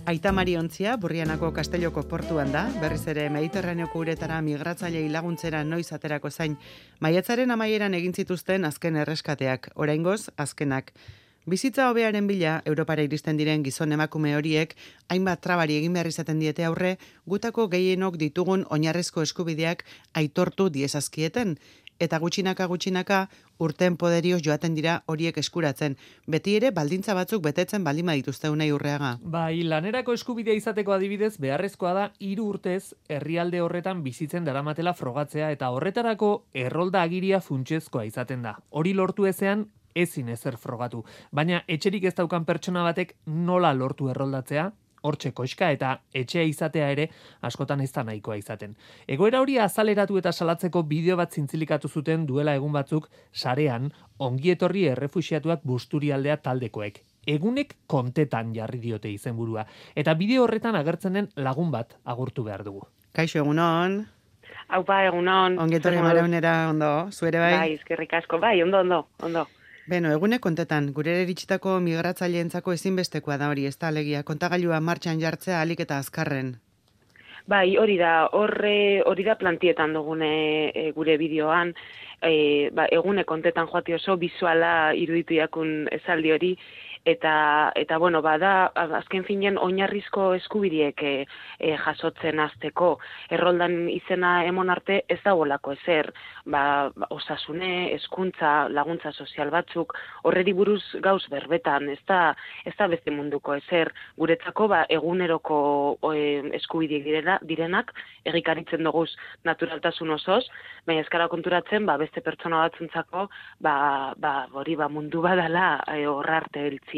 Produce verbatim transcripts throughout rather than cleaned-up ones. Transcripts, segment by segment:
Aita Mariontzia, Burrianako Kastelloko portuan da, berriz ere Mediterraneoko uretara migratzailei laguntzera noiz aterako zain. Maiatzaren amaieran egin zituzten azken erreskateak, oraingoz azkenak. Bizitza hobearen bila, Europara iristen diren gizon emakume horiek, hainbat trabari egin behar izaten diete aurre, gutako gehienok ditugun oinarrizko eskubideak aitortu diezazkieten, eta gutxinaka gutxinaka urten poderioz joaten dira horiek eskuratzen. Beti ere baldintza batzuk betetzen baldin badituzte Unai Urreaga. Bai, lanerako eskubidea izateko adibidez, beharrezkoa da hiru urtez herrialde horretan bizitzen daramatela frogatzea eta horretarako errolda agiria funtsezkoa izaten da. Hori lortu ezean ezin ezer frogatu. Baina etxerik ez daukan pertsona batek nola lortu erroldatzea? Hortxe koxka eta etxea izatea ere askotan ez da nahikoa izaten. Egoera hori azaleratu eta salatzeko bideo bat zintzilikatu zuten duela egun batzuk sarean ongietorri errefuxiatuak Busturialdea taldekoek. Egunek kontetan jarri diote izenburua. Eta bideo horretan agertzen den lagun bat agurtu behar dugu. Kaixo, egunon. Aupa, egunon. Ongietorri Maraunera, ondo, zuere bai? Bai, eskerrik asko, bai, ondo, ondo, ondo. Beno, egunek kontetan, gure iritsitako migratzaileentzako ezinbestekoa da hori, ez da alegia, kontagailua martxan jartzea alik eta azkarren. Bai, hori da, horre, hori da plantietan dugune e, gure bideoan, e, ba, egune kontetan joati oso bizuala iruditu jakun esaldi hori, eta, eta bueno, bada, azken finen oinarrizko eskubideek e, e, jasotzen hasteko erroldan izena emon arte ez dagoelako ezer, ba, osasune, hezkuntza, laguntza sozial batzuk, horreri buruz gauz berbetan, ez da, ez da beste munduko ezer, guretzako ba, eguneroko e, eskubideek direna, direnak, egikaritzen duguz naturaltasun osoz, baina eskara konturatzen, ba, beste pertsona batzuntzako, ba, ba, hori ba, mundu badala e, horra arte heltzie.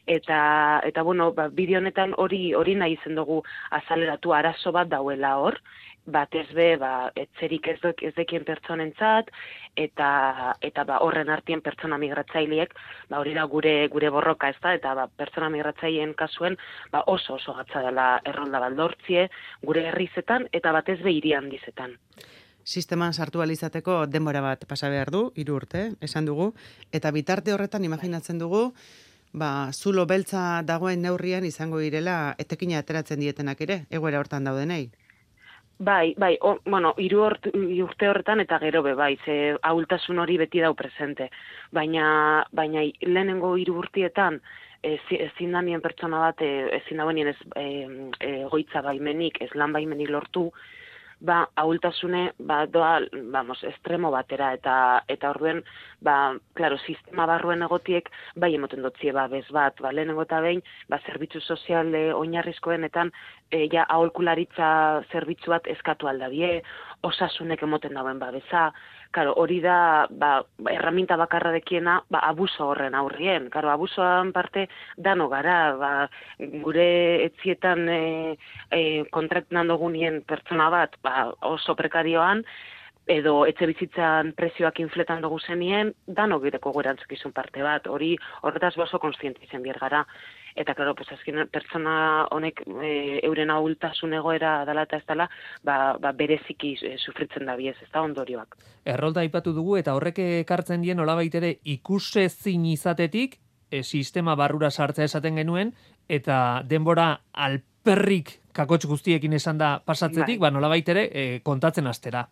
Eta, eta bueno, ba, bideo honetan hori hori nahi izen dugu azaleratu arazo bat dauela hor, batez be, ba, etzerik ez, duk, ez dekien pertsonentzat, eta, eta ba, horren artien pertsona migratzaileek, ba, hori da gure gure borroka, ez da, eta ba, pertsona migratzaileen kasuen ba, oso oso gatza dela errolda baldortzie, gure herrizetan, eta batez be hirian dizetan. Sisteman sartu alizateko denbora bat pasa behar du, hiru urte, esan dugu, eta bitarte horretan imaginatzen dugu, ba, zulo beltza dagoen neurrian izango direla etekina ateratzen dietenak ere, egoera hortan daudenei. Bai, bai, o, bueno, hiru urte horretan eta gero be, bai, ze ahultasun hori beti dau presente. Baina, baina lehenengo hiru urtietan, ezin da nien pertsona bat, ezin da benien ez egoitza baimenik, ez lan baimenik lortu, ba, ahultasune, ba, doa, vamos, estremo batera, eta eta orduen, ba, claro, sistema barruen egotiek, bai emoten dotzie, ba, bez bat, ba, lehenengo eta behin, ba, zerbitzu sozial e, oinarrizkoenetan, e, ja, aholkularitza zerbitzu bat eskatu aldabie, osasunek emoten dauen babesa, karo, hori da, ba, erraminta bakarra dekiena, ba, abuso horren aurrien, karo, abusoan parte dano gara, ba, gure etzietan e, e, kontraktan dugunien pertsona bat, ba, oso prekarioan, edo etxe bizitzan prezioak infletan dugu zenien, dano gireko guerantzukizun parte bat, hori horretaz oso konstiente izan bier gara. Eta, klaro, pues, azken pertsona honek e, euren ahultasun egoera dela eta ez dela, ba, ba, bereziki e, sufritzen da biez, ez da ondorioak. Errolda aipatu dugu eta horrek ekartzen dien nolabait ere ikusezin izatetik, e, sistema barrura sartzea esaten genuen, eta denbora alperrik kakotx guztiekin esan da pasatzetik, bai. Ba, nolabait ere e, kontatzen astera.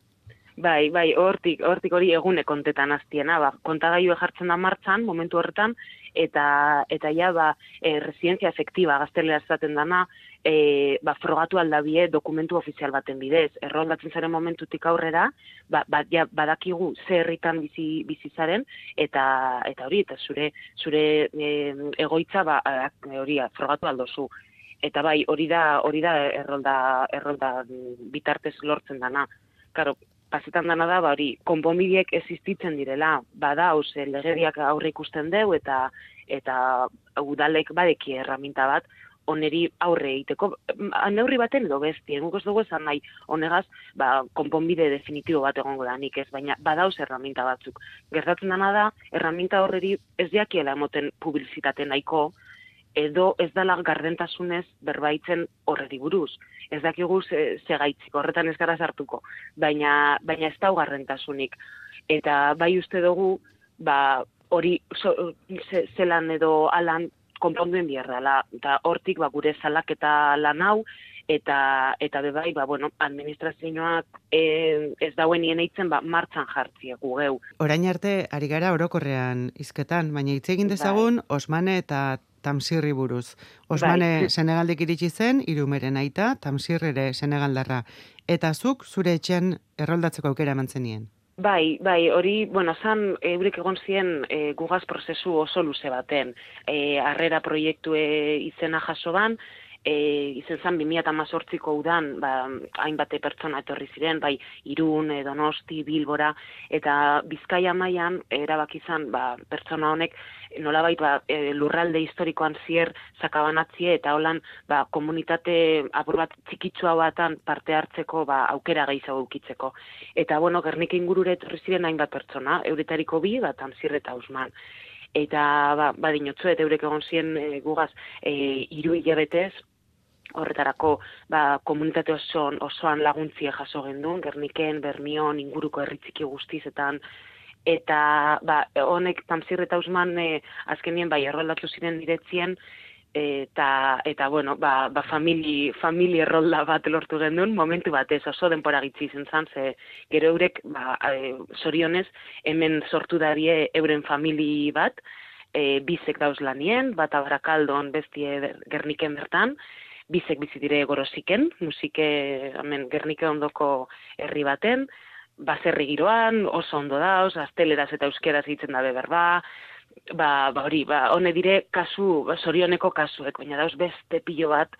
Bai, bai, hortik, hortik hori egune kontetan aztiena, ba, kontagailua jartzen da martxan, momentu horretan, eta, eta ja, ba, e, residentzia efektiba, gaztelera esaten dana, e, ba, frogatu aldabie dokumentu ofizial baten bidez. Erroldatzen zaren momentutik aurrera, ba, ba, ja, badakigu ze herritan bizi, bizi zaren, eta, eta hori, eta zure, zure e, egoitza, ba, hori, frogatu aldozu. Eta bai, hori da, hori da errolda, errolda bitartez lortzen dana. Karo, pasetan dana da, ba, hori, konponbideek existitzen direla, bada, hause, legediak aurre ikusten deu, eta eta udalek badeki erraminta bat, oneri aurre egiteko, neurri baten edo besti, egungo ez dugu esan nahi, honegaz, ba, konponbide definitibo bat egongo da nik ez, baina badauz erraminta batzuk. Gertatzen dana da, erraminta horreri ez diakiela emoten publizitate nahiko, edo ez dala gardentasunez berbaitzen horreri buruz. Ez dakigu ze, ze gaitzik, horretan ez gara sartuko, baina, baina ez dau gardentasunik. Eta bai uste dugu, ba, hori so, ze, zelan edo alan konponduen bierdala, eta hortik ba, gure salaketa lan hau, eta eta bebai, ba, bueno, administrazioak e, ez dauen nien eitzen, ba, martxan jartziak gugeu. Orain arte, ari gara orokorrean hizketan, baina hitz egin dezagun Osmane eta Tamsirri buruz. Osmane bai. Senegaldik iritsi zen, Irumeren aita, Tamsir ere Senegaldarra. Eta zuk zure etxean erroldatzeko aukera eman zenien? Bai, bai, hori, bueno, zan, eurek egon ziren e, gugaz prozesu oso luze baten. E, arrera proiektue izena jaso ban, E, izen zan bi mila hemezortziko udan, ba, hainbate pertsona etorri ziren, bai Irun, Donosti, Bilbora, eta Bizkaia mailan erabaki izan ba, pertsona honek nolabait ba, e, lurralde historikoan zier sakabanatzie eta holan ba, komunitate apur bat txikitsua batan parte hartzeko ba, aukera gehiago ukitzeko. Eta bueno, Gernika ingurure etorri ziren hainbat pertsona, euretariko bi, bat Tamsir eta Usman. Eta ba, badinotzu, eta eurek egon ziren e, gugaz e, hiru hilabetez, horretarako ba, komunitate osoan, osoan laguntzie jaso gendun, Gerniken, Bermion, inguruko herritziki guztizetan, eta ba, honek Tamsir eta Usman e, azkenien bai erroldatu ziren diretzien, eta, eta bueno, ba, ba famili, famili errolda bat lortu gendun, momentu batez oso denpora gitzi izen zan, ze gero eurek, ba, e, zorionez, hemen sortu darie euren famili bat, e, bizek dauz lanien, bat Abarakaldon bestie Gerniken bertan, bizek bizi dire Gorosiken, musike hemen Gernike ondoko herri baten, baserri giroan, oso ondo dauz, gazteleraz eta euskeraz egiten dabe berba, ba, ba hori, ba, hone dire kasu, ba, zorioneko kasuek, baina dauz beste pilo bat,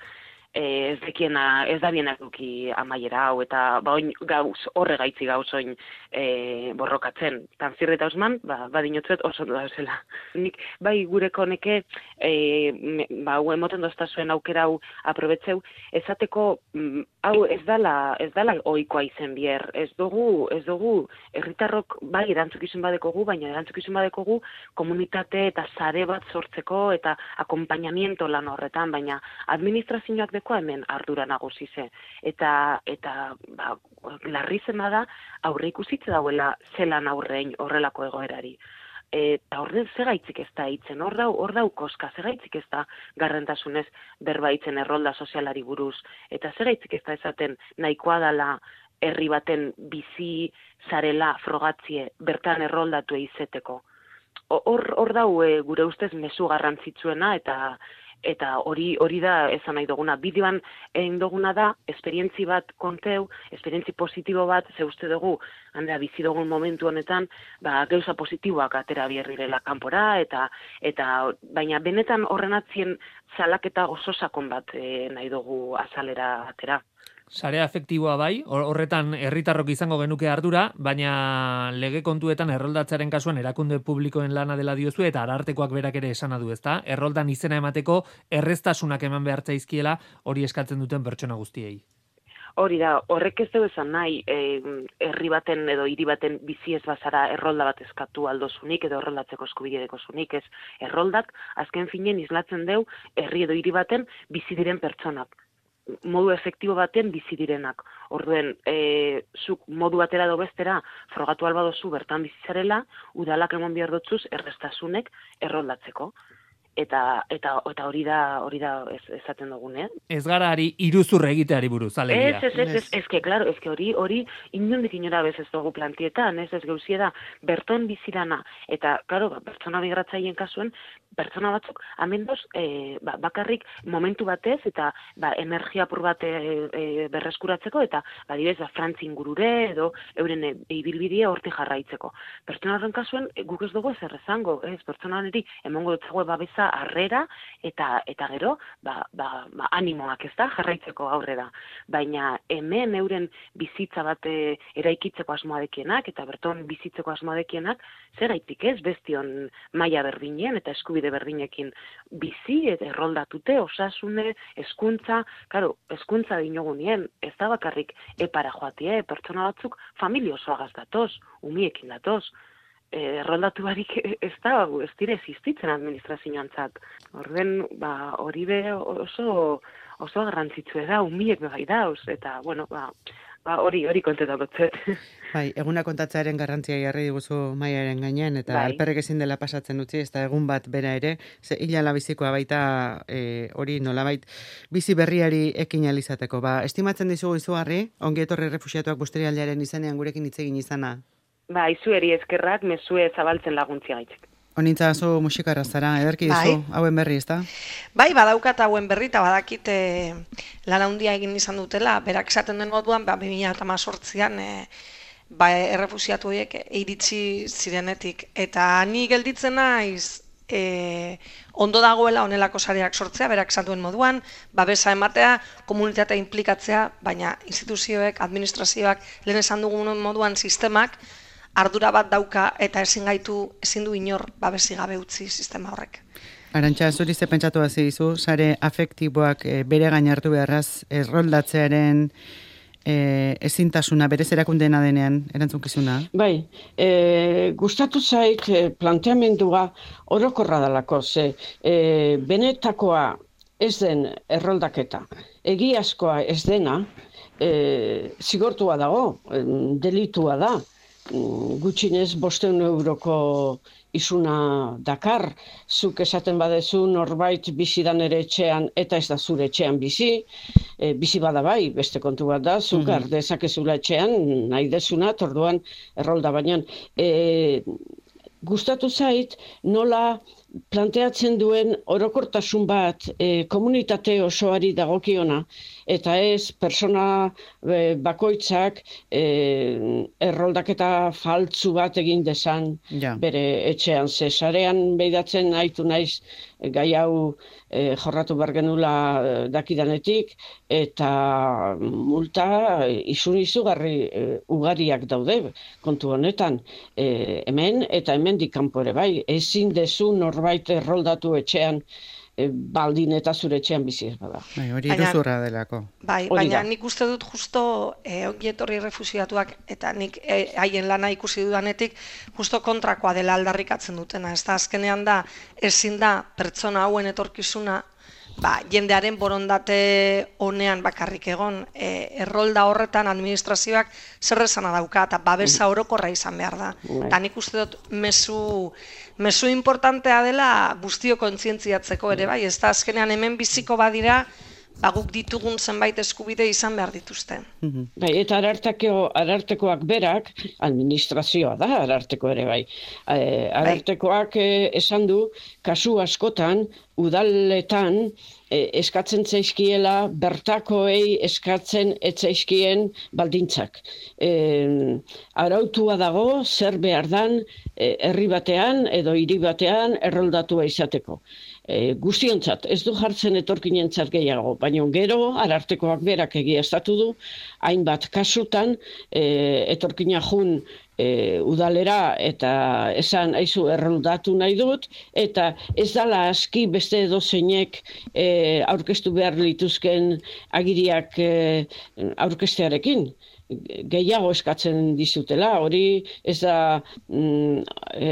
e, ez dekiena, ez da bienak duki amaiera hau, eta ba, oin gauz, horre gaitzi gauz oin e, borrokatzen. Tamsir eta Usman, ba, badinotzuet oso ondo dauzela. Nik, bai, gureko neke, e, ba, hau emoten doztazuen aukera hau aprobetzeu, esateko, mm, hau ez dala, ez dala ohikoa izen bier, ez dugu, ez dugu, herritarrok bai erantzukizun badekogu, baina erantzukizun badekogu komunitate eta sare bat sortzeko eta akompainamiento lan horretan, baina administrazioak deko hemen ardura nagusi ze. Eta, eta ba, larri zena da aurre ikusitze dauela zelan aurrein horrelako egoerari. Eta horren zegaitzik ez da hitzen, hor dau, hor dau koska, zegaitzik ez da garrentasunez berbaitzen errolda sozialari buruz, eta zegaitzik ez da esaten nahikoa dala herri baten bizi zarela frogatzie bertan erroldatu izeteko. Hor, hor dau e, gure ustez mezu garrantzitsuena eta eta hori hori da esan nahi duguna. Bideoan egin duguna da, esperientzi bat konteu, esperientzi positibo bat, ze uste dugu, handea bizi dugun momentu honetan, ba, gauza positiboak atera bierrirela kanpora, eta, eta baina benetan horren atzien salaketa oso sakon bat e, nahi dugu azalera atera. Sarea efektiboa bai, horretan herritarrok izango genuke ardura, baina lege kontuetan erroldatzearen kasuan erakunde publikoen lana dela diozu eta arartekoak berak ere esana du, ezta? Erroldan izena emateko erreztasunak eman behar zaizkiela hori eskatzen duten pertsona guztiei. Hori da, horrek ez dugu esan nahi, e, herri baten edo hiri baten bizi ez bazara errolda bat eskatu aldozunik edo erroldatzeko eskubide dekozunik, ez erroldak azken finen islatzen deu herri edo hiri baten bizi diren pertsonak. Modu efektibo baten bizi direnak. Orduen, e, zuk modu batera edo bestera frogatu alba dozu bertan bizitzarela, udalak emon behar dotzuz errestasunek erroldatzeko. Eta, eta, eta hori da, hori da ez, esaten dugun, eh? Ez gara ari iruzurre egiteari buruz, alegia. Ez, ez, ez, ez, ez, que, claro, ez que hori, hori inondik inora bez ez dugu plantietan, ez, ez gauzie da, berton bizirana, eta, claro, pertsona migratzaien kasuen, pertsona batzuk, amendoz, e, ba, bakarrik momentu batez, eta ba, energia apur bat e, e, berreskuratzeko, eta, ba, dibez, ba, Frantzi ingurure, edo, euren e, ibilbidea horti jarraitzeko. Pertsona horren kasuen, e, guk ez dugu ez errezango, ez, pertsona hori, emongo dutzago babesa harrera, eta, eta gero, ba, ba, ba, animoak ez da, jarraitzeko aurrera. Baina, hemen euren bizitza bat e, eraikitzeko asmoadekienak, eta berton bizitzeko asmoadekienak, zer gaitik ez, bestion maila berdinen, eta eskubide berdinekin bizi, eta erroldatute, osasune, hezkuntza, claro, hezkuntza dinogunien, ez da bakarrik epara joatie, pertsona batzuk familia osoagaz datoz, umiekin datoz, erroldatu barik ez da, ez dire existitzen administrazioan zat. Horren, ba, hori be oso, oso garrantzitsua da, umiek bai dauz, eta, bueno, ba, ba hori hori kontetakotzet. Bai, eguna kontatzearen garrantzia jarri diguzu Maiaren gainean, eta Bai. alperrek ezin dela pasatzen utzi, ez da egun bat bera ere, ze hilala bizikoa baita e, hori nolabait bizi berriari ekin alizateko. Ba, estimatzen dizugu izugarri, ongi etorri refuxiatuak Busturialdearen izenean gurekin hitz egin izana. Ba, izueri eskerrak, mezue zabaltzen laguntzia gaitzek. Honintza zu musikarra zara, ederki Bai. dizu, hauen berri, ezta? Bai, badaukat hauen berri, eta badakit e, lan handia egin izan dutela, berak esaten den moduan, ba, bi mila hemezortzian e, ba, errefusiatu horiek iritsi zirenetik. Eta ni gelditzen naiz e, ondo dagoela honelako sareak sortzea, berak esan duen moduan, babesa ematea, komunitatea implikatzea, baina instituzioek, administrazioak, lehen esan dugun moduan sistemak, ardura bat dauka eta ezin gaitu, ezin du inor babesi gabe utzi sistema horrek. Arantxa, zuri ze pentsatu hasi dizu, sare afektiboak e, bere gain hartu beharraz erroldatzearen e, ezintasuna, berez erakundena denean, erantzunkizuna? Bai, e, gustatu zait e, planteamendua orokorra dalako, ze e, benetakoa ez den erroldaketa, egiazkoa ez dena, e, zigortua dago, e, delitua da, gutxinez bosteun euroko isuna dakar, zuk esaten badezu norbait bizi dan ere etxean eta ez da zure etxean bizi, e, bizi bada bai, beste kontu bat da, zuk mm-hmm. dezakezula etxean nahi desuna, orduan errolda baina. E, gustatu zait nola planteatzen duen orokortasun bat e, komunitate osoari dagokiona, eta ez persona e, bakoitzak e, erroldaketa faltzu bat egin dezan ja. Bere etxean. Ze sarean behidatzen haitu naiz gai hau e, jorratu behar genula dakidanetik, eta multa isun izugarri e, ugariak daude kontu honetan. E, hemen eta hemendik kanpo ere bai, ezin dezu norbait erroldatu etxean, e, baldin eta zure etxean bizi ez bada. Bai, hori iruzurra delako. Bai, baina nik uste dut justo e, ongi etorri refusiatuak eta nik e, haien lana ikusi dudanetik justo kontrakoa dela aldarrikatzen dutena. Ez da, azkenean da, ezin da pertsona hauen etorkizuna ba, jendearen borondate honean bakarrik egon, e, errolda horretan administrazioak zer esana dauka eta babesa orokorra izan behar da. Eta nik uste dut mezu, mezu importantea dela guztio kontzientziatzeko ere bai, ez da azkenean hemen biziko badira, ba, guk ditugun zenbait eskubide izan behar dituzte. Bai, eta ararteko, arartekoak berak, administrazioa da ararteko ere bai. E, arartekoak e, esan du, kasu askotan, udaletan e, eskatzen zaizkiela bertakoei eskatzen etzaizkien baldintzak. E, arautua dago zer behar dan e, herri batean edo hiri batean erroldatua izateko. E, guztiontzat, ez du jartzen etorkinentzat gehiago, baina gero arartekoak berak egiaztatu du, hainbat kasutan e, etorkina jun e, udalera eta esan aizu erroldatu nahi dut, eta ez dala aski beste edozeinek e, aurkeztu behar lituzken agiriak e, aurkestearekin. Gehiago eskatzen dizutela, hori ez da mm, e,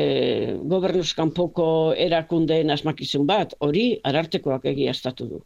gobernuz kanpoko erakundeen asmakizun bat, hori arartekoak egiaztatu du.